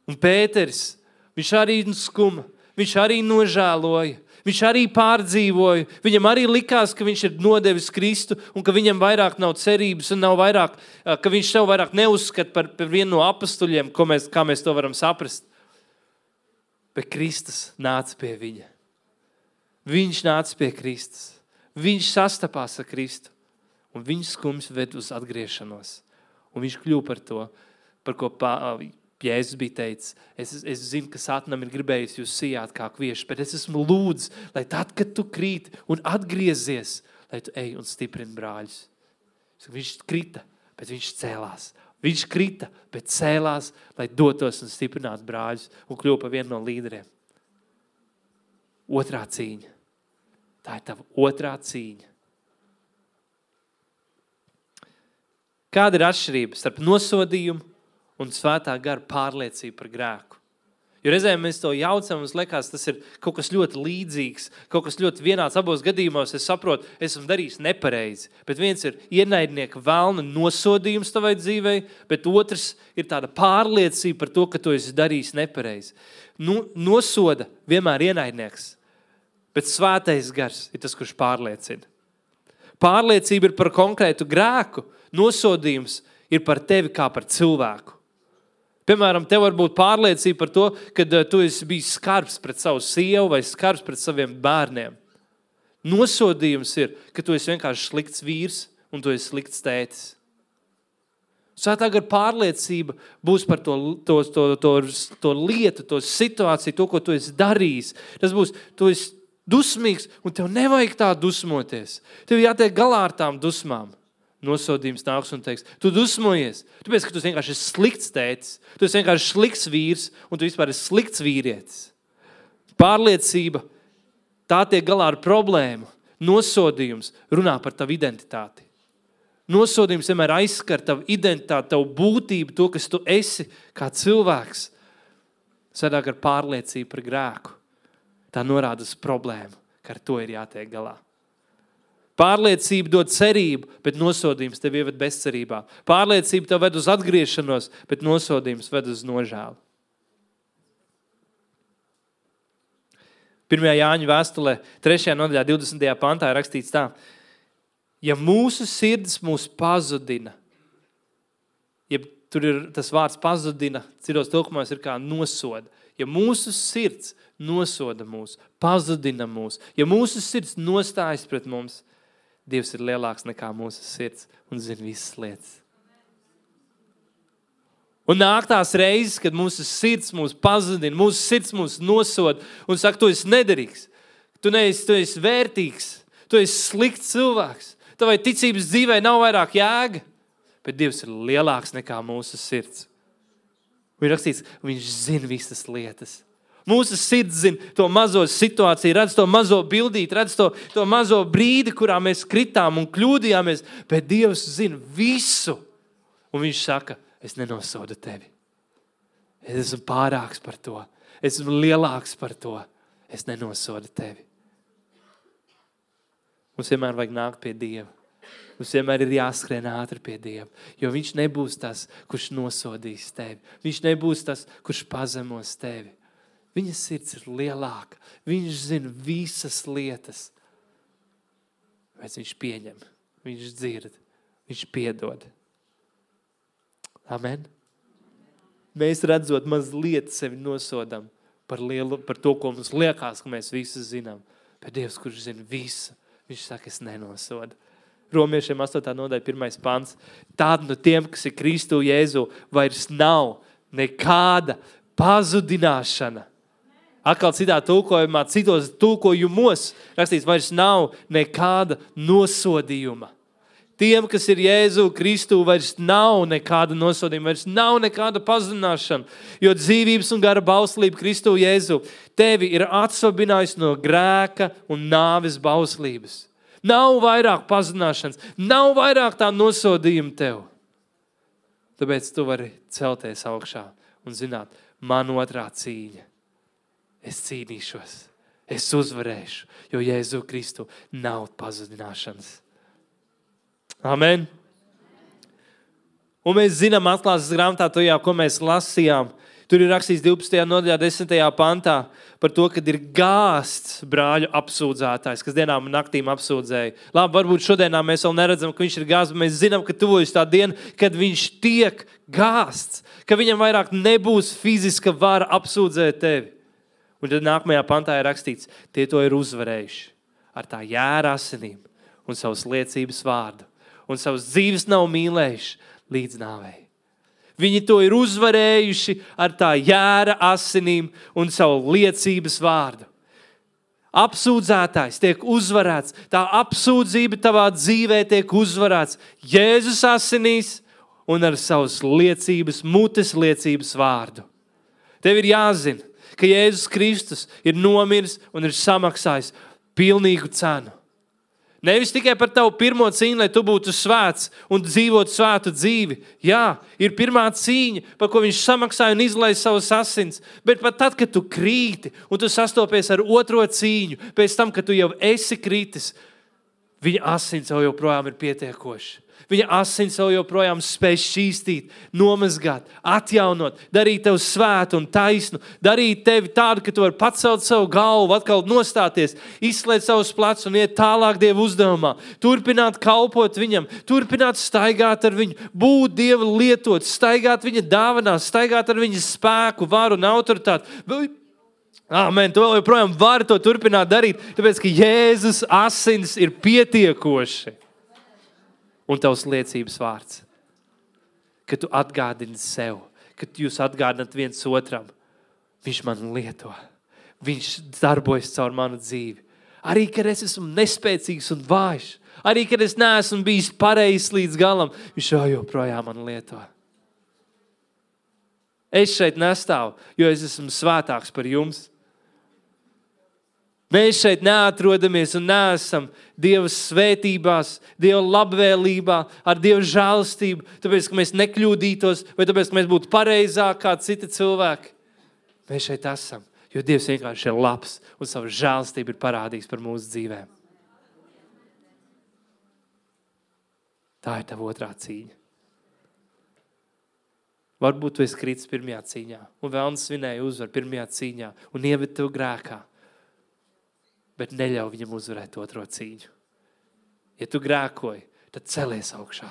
Un Pēteris, viņš arī skuma, viņš arī nožēloja, viņš arī pārdzīvoja, viņam arī likās, ka viņš ir nodevis Kristu un ka viņam vairāk nav cerības un nav vairāk, ka viņš sev vairāk neuzskata par, par vienu no apostuļiem, ko mēs, kā mēs to varam saprast. Bet Kristus nāca pie viņa. Viņš nāca pie Kristus. Viņš sastapās ar Kristu. Un viņš skums ved uz atgriešanos. Un viņš kļuva par to, par ko Jēzus bija teicis. Es, es zinu, ka Sātanam ir gribējis jūs sijāt kā kvieši, bet es esmu lūdz, lai tad, kad tu krīt un atgriezies, lai tu ej un stiprini brāļus. Viņš krita, bet viņš cēlās. Viņš krita, bet cēlās, lai dotos un stiprinātu brāļus un kļuva par vienu no līderiem. Otrā cīņa. Tā ir tava otrā cīņa. Kāda ir atšķirība starp nosodījumu un svētā gara pārliecību par grēku? Jo reizēm mēs to jaucam, mums liekas, tas ir kaut kas ļoti līdzīgs, kaut kas ļoti vienāds abos gadījumos. Es saprotu, esmu darījis nepareizi, bet viens ir ienaidnieka vēlna nosodījums tavai dzīvei, bet otrs ir tāda pārliecība par to, ka tu esi darījis nepareizi. Nu, nosoda vienmēr ienaidnieks, bet svētais gars ir tas, kurš pārliecina. Pārliecība ir par konkrētu grēku, nosodījums ir par tevi kā par cilvēku. Piemēram, tev var būt pārliecība par to, ka tu esi bijis skarbs pret savu sievu vai skarbs pret saviem bērniem. Nosodījums ir, ka tu esi vienkārši slikts vīrs un tu esi slikts tētis. Svētā gara pārliecība būs par to, to, to, to, to lietu, to situāciju, to, ko tu esi darījis. Tas būs, tu esi dusmīgs un tev nevajag tā dusmoties. Tev jātiek galā ar tām dusmām. Nosodījums nāks un teiks, tu dusmojies, tu pēc, ka tu vienkārši esi slikts tētis, tu esi vienkārši slikts vīrs un tu vispār esi slikts vīrietis. Pārliecība, tā tiek galā ar problēmu. Nosodījums runā par tavu identitāti. Nosodījums vienmēr aizskar tavu identitāti, tavu būtību, to, kas tu esi kā cilvēks. Svētā gara pārliecība par grēku. Tā norāda uz problēmu, ka ar to ir jātiek galā. Pārliecība dod cerību, bet nosodījums tev ieved bezcerībā. Pārliecība tev ved uz atgriešanos, bet nosodījums ved uz nožēlu. Pirmajā Jāņa vēstulē, trešajā nodaļā, divdesmitajā pantā ir rakstīts tā. Ja mūsu sirds mūs pazudina, ja tur ir tas vārds pazudina, citos tulkumos ir kā nosoda. Ja mūsu sirds nosoda mūs, pazudina mūs, ja mūsu sirds nostājas pret mums, Dievs ir lielāks nekā mūsu sirds un zina visas lietas. Un nāk tās reizes, kad mūsu sirds mūs pazudina, mūsu sirds mūs nosod un saka, tu esi nederīgs, tu neesi, tu esi vērtīgs, tu esi slikts cilvēks, tavai ticības dzīvē nav vairāk jēga, bet Dievs ir lielāks nekā mūsu sirds. Un ir rakstīts, viņš zina visas lietas. Mūsu sirds zina to mazo situāciju, redz to mazo bildīt, redz to, to mazo brīdi, kurā mēs kritām un kļūdījāmies, bet Dievs zina visu. Un viņš saka, es nenosodu tevi. Es esmu pārāks par to. Es esmu lielāks par to. Es nenosodu tevi. Mums vienmēr vajag nākt pie Dieva. Mums vienmēr ir jāskrien ātri pie Dieva, jo viņš nebūs tas, kurš nosodīs tevi. Viņš nebūs tas, kurš pazemos tevi. Viņa sirds ir lielāka. Viņš zina visas lietas. Bet viņš pieņem, viņš dzird, viņš piedod. Amen. Mēs redzot mazliet sevi nosodam par, lielu, par to, ko mums liekas, ka mēs visu zinām. Bet Dievs, kurš zina visu, viņš saka, es nenosodu. Romiešiem astotā nodaļa, pirmais pants. Tāda no tiem, kas ir Kristu Jēzu, vairs nav nekāda pazudināšana. Atkal citā tulkojumā, citos tulkojumos rakstīts, vairs nav nekāda nosodījuma. Tiem, kas ir Jēzu Kristu, vairs nav nekāda nosodījuma, vairs nav nekāda pazudināšana, jo dzīvības un gara bauslība Kristu Jēzu tevi ir atsvabinājusi no grēka un nāves bauslības. Nav vairāk pazudināšanas, nav vairāk tā nosodījuma tev. Tāpēc tu vari celties augšā un zināt, man otrā cīņa. Es cīnīšos, es uzvarēšu, jo Jēzu Kristu nav pazudināšanas. Amen. Un mēs zinām atklāsmes grāmatā to jau, ko mēs lasījām. Tur ir rakstīts divpadsmitajā nodaļā, desmitajā pantā par to, kad ir gāsts brāļu apsūdzētājs, kas dienām un naktīm apsūdzēja. Labi, varbūt šodienā mēs vēl neredzam, ka viņš ir gāsts, bet mēs zinām, ka tuvojas tā diena, kad viņš tiek gāsts, ka viņam vairāk nebūs fiziska vara apsūdzēt tevi. Un tad nākamajā pantā ir rakstīts, tie to ir uzvarējuši ar tā jēra asinīm un savas liecības vārdu. Un savas dzīves nav mīlējuši līdz nāvei. Viņi to ir uzvarējuši ar tā jēra asinīm un savu liecības vārdu. Apsūdzētājs tiek uzvarēts, tā apsūdzība tavā dzīvē tiek uzvarēts Jēzus asinīs un ar savas liecības, mutes liecības vārdu. Tev ir jāzina, ka Jēzus Kristus ir nomiris un ir samaksājis pilnīgu cenu. Nevis tikai par tavu pirmo cīņu, lai tu būtu svēts un dzīvotu svētu dzīvi. Jā, ir pirmā cīņa, par ko viņš samaksāja un izlaida savus asins. Bet pat tad, kad tu krīti un tu sastopies ar otro cīņu, pēc tam, kad tu jau esi kritis, viņa asins jau joprojām ir pietiekoši. Viņa asins jau joprojām spēj šķīstīt, nomazgāt, atjaunot, darīt tev svētu un taisnu, darīt tevi tādu, ka tu vari pacelt savu galvu, atkal nostāties, izslēgt savus plecus un iet tālāk Dieva uzdevumā, turpināt kalpot viņam, turpināt staigāt ar viņu, būt Dieva lietot, staigāt viņa dāvanās, staigāt ar viņa spēku, varu un autoritāti. Āmen, tu vēl joprojām vari to turpināt darīt, tāpēc, ka Jēzus asins ir pietiekoši. Un tavs liecības vārds, ka tu atgādini sev, ka jūs atgādināt viens otram, viņš man lieto, viņš darbojas caur manu dzīvi. Arī, kad es esmu nespēcīgs un vājš, arī, kad es neesmu bijis pareizs līdz galam, viņš jau joprojām man lieto. Es šeit nestāvu, jo es esmu svētāks par jums. Mēs šeit neatrodamies un neesam Dieva svētībās, Dieva labvēlībā, ar Dieva žēlastību, tāpēc, ka mēs nekļūdītos, vai tāpēc, ka mēs būtu pareizāk kā citi cilvēki. Mēs šeit esam, jo Dievs vienkārši ir labs un savu žēlastību ir parādījis par mūsu dzīvēm. Tā ir tava otrā cīņa. Varbūt tu esi kritis pirmajā cīņā un vēlns svinēja uzvar pirmajā cīņā un ieved tev grēkā. Bet neļauj viņam uzvarēt otro cīņu. Ja tu grēkoji, tad celies augšā.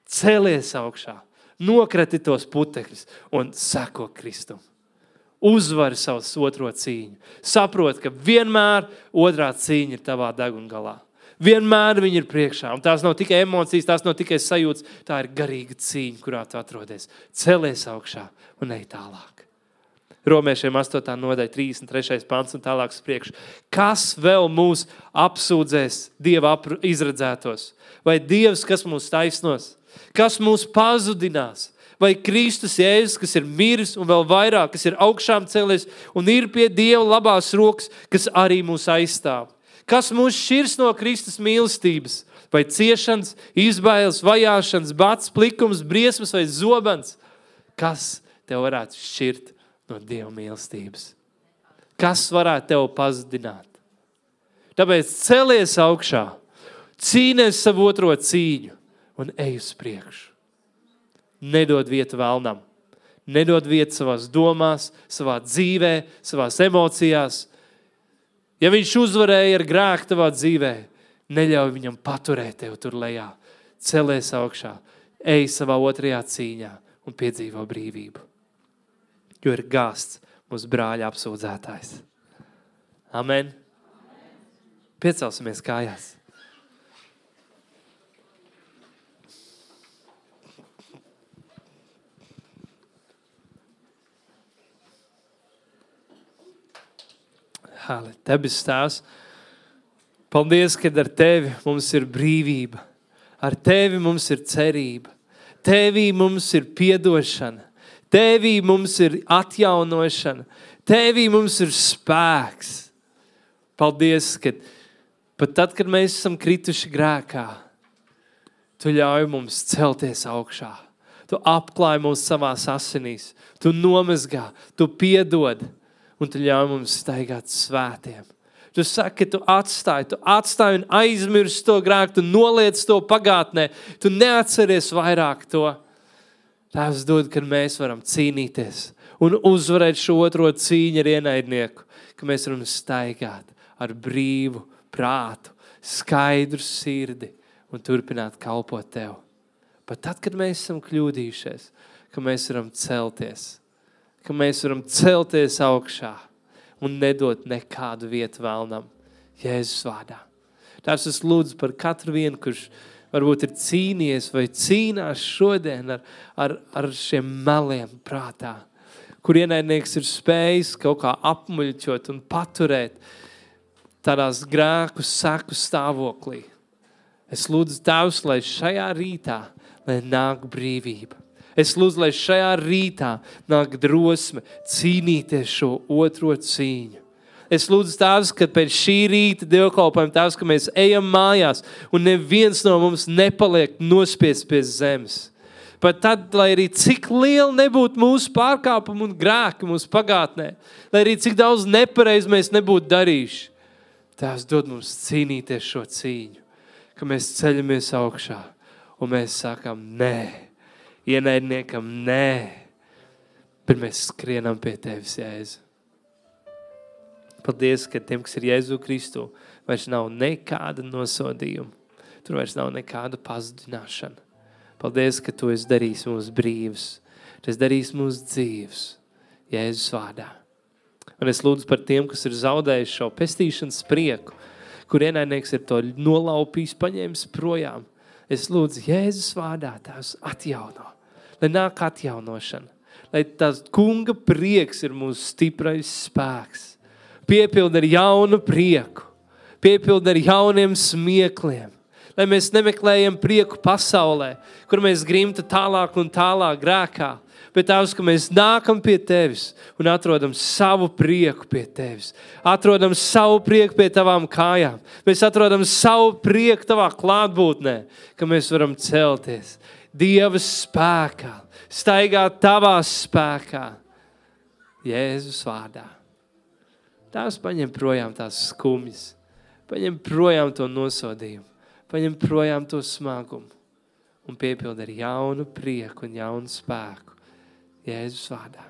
Celies augšā. Nokrati tos putekļus un seko Kristum. Uzvari savus otro cīņu. Saprot, ka vienmēr otrā cīņa ir tavā deguna galā. Vienmēr viņi ir priekšā. Un tās nav tikai emocijas, tās nav tikai sajūtas. Tā ir garīga cīņa, kurā tu atrodies. Celies augšā un ej tālāk. Romiešiem astotā nodaļa, trīsdesmit trešais pants un tālāk uz priekšu. Kas vēl mūs apsūdzēs Dieva izredzētos? Vai Dievs, kas mūs taisnos? Kas mūs pazudinās? Vai Kristus Jēzus, kas ir miris un vēl vairāk, kas ir augšām celies un ir pie Dieva labās rokas, kas arī mūs aizstāv? Kas mūs šķirs no Kristus mīlestības? Vai ciešanas, izbailes, vajāšanas, bats, plikums, briesmas vai zobens? Kas tev varētu šķirt no Dieva mīlestības? Kas varētu tev pazudināt? Tāpēc celies augšā, cīnies savu otro cīņu un ej uz priekšu. Nedod vietu vēlnam. Nedod vietu savās domās, savā dzīvē, savās emocijās. Ja viņš uzvarēja ar grēku tavā dzīvē, neļauj viņam paturēt tev tur lejā. Celies augšā, ej savā otrajā cīņā un piedzīvo brīvību. Jo ir gāsts mūsu brāļa apsūdzētājs. Amen. Piecelsimies kājās. Hale, Debes Tēvs, paldies, kad ar Tevi mums ir brīvība. Ar Tevi mums ir cerība. Tevī mums ir piedošana. Tevī mums ir atjaunošana. Tevī mums ir spēks. Paldies, ka pat tad, kad mēs esam krituši grēkā, Tu ļauj mums celties augšā. Tu apklāj mums savās asinīs. Tu nomazgā, Tu piedod. Un tu ļauj mums staigāt svētiem. Tu saki, ka tu atstāji, tu atstāji un aizmirsti to grēku, tu noliec to pagātnē, tu neatceries vairāk to. Tēvs dod, kad mēs varam cīnīties un uzvarēt šo otro cīņu ar ienaidnieku, ka mēs varam staigāt ar brīvu prātu, skaidru sirdi un turpināt kalpot Tev. Pat tad, kad mēs esam kļūdījušies, ka mēs varam celties, ka mēs varam celties augšā un nedot nekādu vietu vēlnam Jēzus vārdā. Tēvs, es lūdzu par katru vienu, kurš varbūt ir cīnījies vai cīnās šodien ar, ar, ar šiem meliem prātā, kur ienaidnieks ir spējis kaut kā apmuļķot un paturēt tādās grēku seku stāvoklī. Es lūdzu Tēvs, lai šajā rītā, lai nāk brīvība. Es lūdzu, lai šajā rītā nāk drosme cīnīties šo otro cīņu. Es lūdzu, Tēvs, ka pēc šī rīta dievkalpojuma, Tēvs, ka mēs ejam mājās un neviens no mums nepaliek nospiests pie zemes. Pat tad, lai arī cik liela nebūtu mūsu pārkāpumi un grēki mūsu pagātnē, lai arī cik daudz nepareiz mēs nebūtu darījuši, Tēvs dod mums cīnīties šo cīņu, ka mēs ceļamies augšā un mēs sakam nē. Ienaidniekam, nē, bet mēs skrienam pie Tevis, Jēzu. Paldies, ka tiem, kas ir Jēzu Kristu, vairs nav nekāda nosodījuma. Tur vairs nav nekāda pazudināšana. Paldies, ka Tu esi darījis mūs brīvus. Tu esi darījis mūs dzīvus, Jēzus vārdā. Un es lūdzu par tiem, kas ir zaudējuši šo pestīšanas prieku, kur ienaidnieks ir to nolaupījis, paņēmis projām. Es lūdzu Jēzus vārdā, Tēvs, atjauno. Lai nāk atjaunošana. Lai tās kunga prieks ir mūsu stiprais spēks. Piepild ar jaunu prieku. Piepild ar jauniem smiekliem. Lai mēs nemeklējam prieku pasaulē, kur mēs grimtu tālāk un tālāk grēkā. Bet Tēvs, ka mēs nākam pie Tevis un atrodam savu prieku pie Tevis. Atrodam savu prieku pie Tavām kājām. Mēs atrodam savu prieku Tavā klātbūtnē, ka mēs varam celties Dieva spēkā, staigāt Tavā spēkā, Jēzus vārdā. Tēvs, paņem projām tās skumjas, paņem projām to nosodījumu, paņem projām to smagumu un piepild ar jaunu prieku un jaunu spēku. Jēzus vārdā.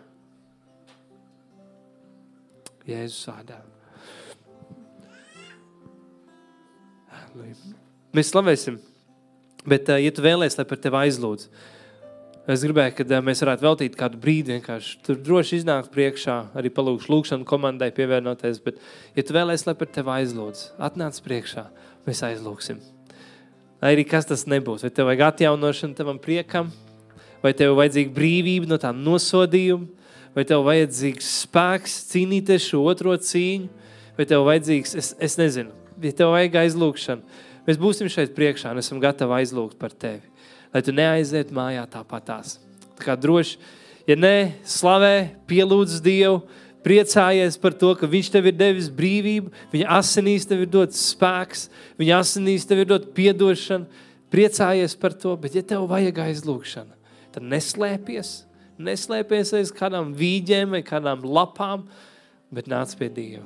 Jēzus vārdā. Mēs slavēsim, bet, ja tu vēlies, lai par tevi aizlūdz, Es gribēju, ka mēs varētu veltīt kādu brīdi vienkārši. Tur droši iznākt priekšā, arī palūkšu lūkšanu komandai pievienoties, bet, ja tu vēlēsi, lai par tevi aizlūdz, atnāc priekšā, mēs aizlūksim. Lai arī kas tas nebūs, vai tev vajag atjaunošanu tavam priekam, vai tev vajadzīga brīvība no tā nosodījuma, vai tev vajadzīgs spēks cīnīties šo otro cīņu, vai tev vajadzīgs, es, es nezinu, ja tev vajag aizlūkšanu, mēs būsim šeit priekšā un esam gatavi aizlūgt par tevi. Lai tu neaiziet mājā tāpatās. Tā kā droši, ja ne, slavē, pielūdz Dievu, priecājies par to, ka viņš tev ir devis brīvību, viņa asinīs tev ir dots spēks, viņa asinīs tev ir dot piedošanu, priecājies par to, bet ja tev vajag aizlūkšana, tad neslēpies, neslēpies aiz kādām vīģēm vai kādām lapām, bet nāc pie Dieva.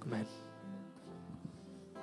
Amen.